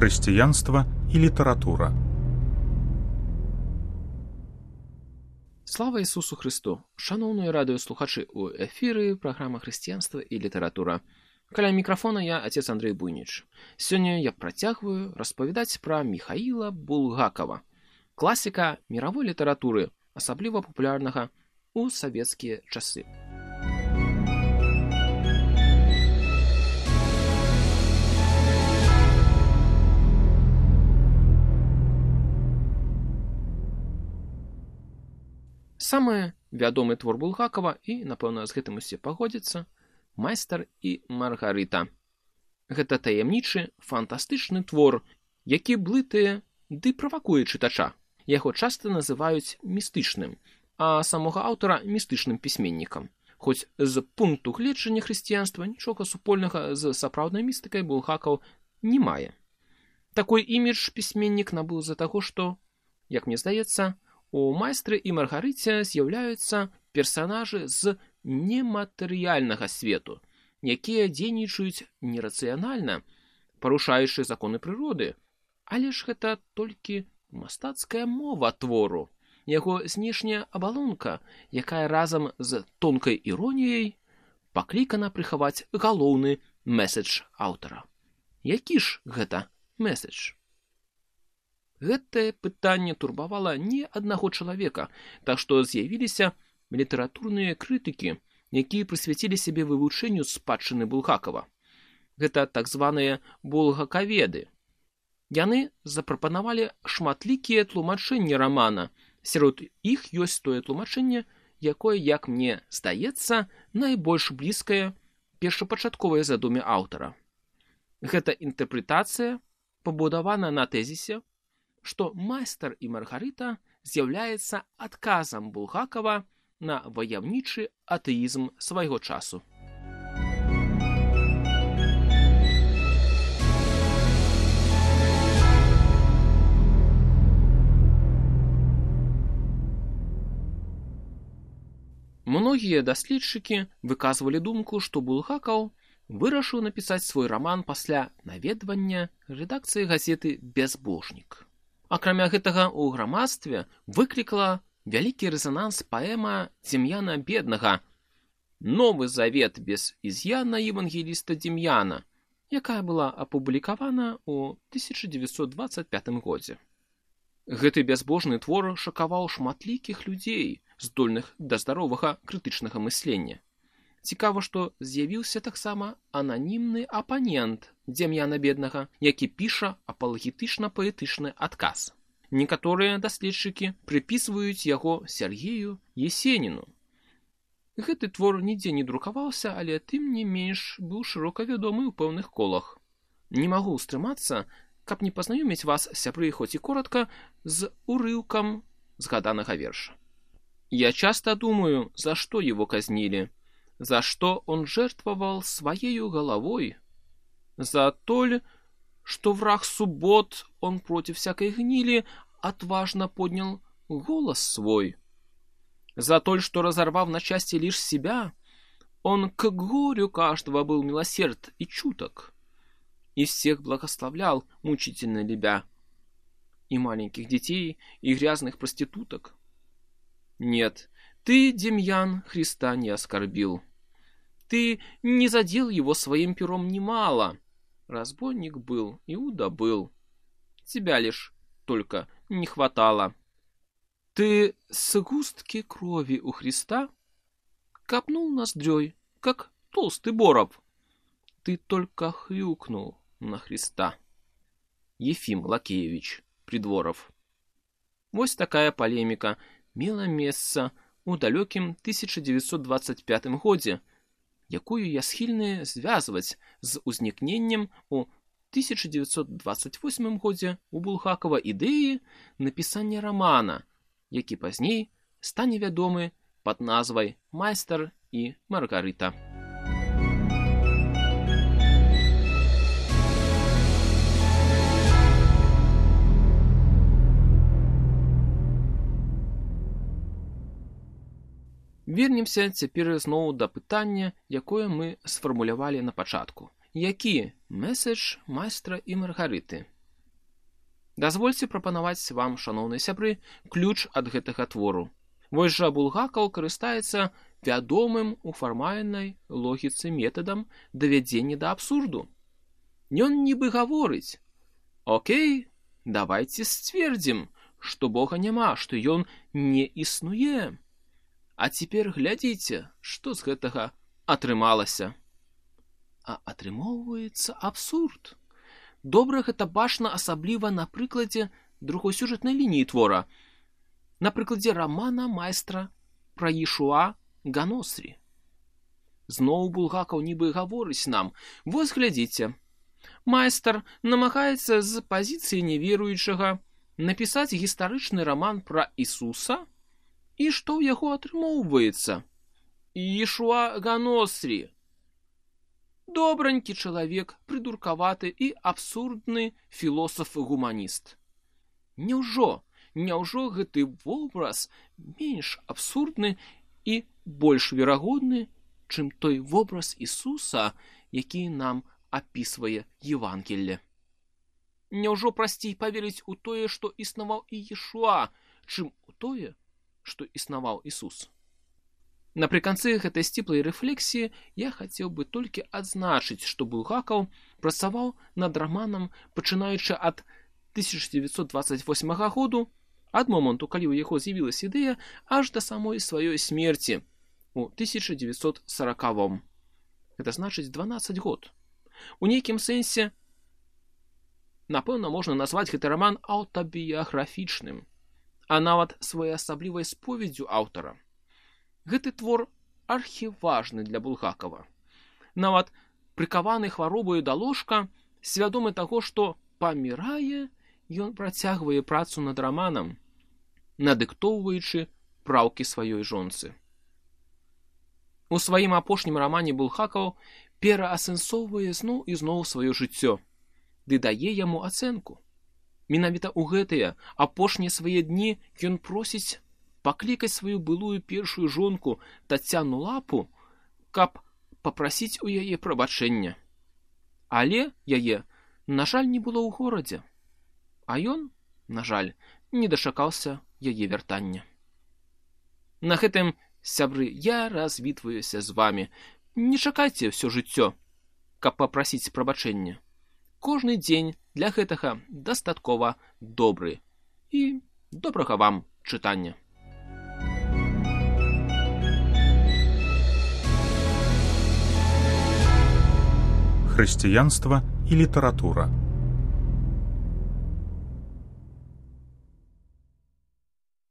Хрысціянства і літаратура. Слава Ісусу Христу! Шановні радыёслухачы, у эфіры праграма «Хрысціянства і літаратура». Каля мікрафона я, отец Андрей Буйніч. Сёння я працягваю распавядаць пра Міхаіла Булгакова, класіка міравой літаратуры, асабліва папулярнага ў савецкія часы. Самы вядомы твор Булгакова, і, напэўна, з гэтым усе пагодзяцца, «Майстар і Маргарыта». Гэта таямнічы, фантастычны твор, які блытае ды правакуе чытача. Яго часта называюць містычным, а самога аўтара містычным пісьменнікам. Хоць з пункту гледжання хрысціянства нічога супольнага з сапраўднай містыкай Булгакаў не мае. Такой імідж пісьменнік набыў з-за таго, што, як мне здаецца, у «Майстры і Маргарыце» з'яўляюцца персанажы з нематэрыяльнага свету, якія дзейнічаюць нерацыянальна, парушаючы законы прыроды. Але ж гэта толькі мастацкая мова твору, яго знешняя абалонка, якая разам з тонкай іроніяй паклікана прыхаваць галоўны мэсэдж аўтара. Які ж гэта мэсэдж? Гэтае пытанне турбавала не аднаго чалавека, так што з'явіліся літаратурныя крытыкі, якія прысвяцілі сябе вывучэнню спадчыны Булгакова. Гэта так званыя булгакаведы. Яны запрапанавалі шматлікія тлумачэнні рамана. Сярод іх ёсць тое тлумачэнне, якое, як мне здаецца, найбольш блізкае першапачатковай задуме аўтара. Гэта інтэрпрэтацыя пабудавана на тэзісе, што «Майстар і Маргарыта» з'яўляецца адказам Булгакова на ваяўнічы атэізм свайго часу. Многія даследчыкі выказвалі думку, што Булгакаў вырашыў напісаць свой раман пасля наведвання рэдакцыі газеты «Бязбожнік». Акрамя гэтага, у грамадстве выклікала вялікі рэзананс паэма Дзем'яна Беднага «Новы завет без із'яна евангеліста Дзем'яна», якая была апублікавана ў 1925 годзе. Гэты бязбожны твор шакаваў шматлікіх людзей, здольных да здаровага крытычнага мыслення. Цікава, што з'явіўся таксама ананімны апанент Дзем'яна Беднага, які піша апалагетычна-паэтычны адказ. Некаторыя даследчыкі прыпісваюць яго Сергею Есеніну. Гэты твор нідзе не друкаваўся, але тым не менш быў шырока вядомы ў пэўных колах. Не магу стрымацца, каб не пазнаёміць вас, сябры, хоць і коротка, з урыўкам згаданага верша. Я часто думаю, за что его казнили, за что он жертвовал своею головой, за то ли, что враг суббот, он против всякой гнили, отважно поднял голос свой, за то, что, разорвав на части лишь себя, он к горю каждого был милосерд и чуток, и всех благословлял, мучительно любя, и маленьких детей, и грязных проституток. Нет, ты, Демьян, Христа не оскорбил. Ты не задел его своим пером немало. Разбойник был, Иуда был. Тебя лишь только не хватало. Ты с густки крови у Христа капнул ноздрёй, как толстый боров. Ты только хрюкнул на Христа. Ефим Лакеевич Придворов. Вось такая полемика мела месца ў далёкім 1925 годзе, якую я схільны звязваць з узнікненнем у 1928 годзе у Булгакова ідэі напісання рамана, які пазней стане вядомы пад назвай «Майстар і Маргарыта». Вернемся цяпер зноў да пытання, якое мы сфармулявалі на пачатку. Які мэсэдж «Майстра і Маргарыты»? Дазвольце прапанаваць вам, шаноўныя сябры, ключ ад гэтага твору. Вось жа Булгакаў карыстаецца вядомым у фармальнай логіцы метадам давядзення да абсурду. Ён нібы гаворыць: «Окей, давайце сцвердзім, што Бога няма, што ён не існуе. А цяпер глядзіце, што з гэтага атрымалася». А атрымоўваецца абсурд. Добра гэта бачна асабліва на прыкладзе другой сюжэтнай лініі твора, на прыкладзе рамана майстра пра Ішуа Ганосрі. Зноў Булгакаў нібы гаворыць нам: вось глядзіце, майстар намагаецца з пазіцыі неверуючага напісаць гістарычны раман пра Ісуса, і што ў яго атрымоўваецца? Ішуа Ганосрі. Добранькі чалавек, прыдуркаваты і абсурдны філосаф-гуманіст. Няўжо гэты вобраз менш абсурдны і больш верагодны, чым той вобраз Ісуса, які нам апісвае Евангелле? Няўжо прасцей паверыць у тое, што існаваў і Ішуа, чым у тое, што існаваў Ісус? Напрыканцы гэтай сціплай рэфлексіі я хацеў бы толькі адзначыць, што Булгакаў працаваў над раманам, пачынаючы ад 1928 году, ад моманту, калі ў яго з'явілася ідэя, аж да самой сваёй смерці у 1940. Гэта значыць 12 год. У нейкім сэнсе, напэўна, можна назваць гэты раман аўтабіяграфічным, а нават своеасаблівай споведдзю аўтара. Гэты твор архіважны для Булгакава. Нават прыкаваны хваробаю да ложка, свядомы таго, што памірае, ён працягвае працу над раманам, надыктоўваючы праўкі сваёй жонцы. У сваім апошнім рамане Булгакаў пераасэнсоўвае зноў і зноў сваё жыццё, ды дае яму ацэнку. Менавіта ў гэтыя апошнія свае дні ён просіць паклікаць сваю былую першую жонку Тацяну Лапу, каб папрасіць у яе прабачэння. Але яе, на жаль, не было ў горадзе. А ён, на жаль, не дачакаўся яе вяртання. На гэтым, сябры, я развітваюся з вамі. Не чакайце ўсё жыццё, каб папрасіць прабачэння. Кожны дзень для гэтага дастаткова добры. І добрага вам чытання. Хрысціянства і літаратура.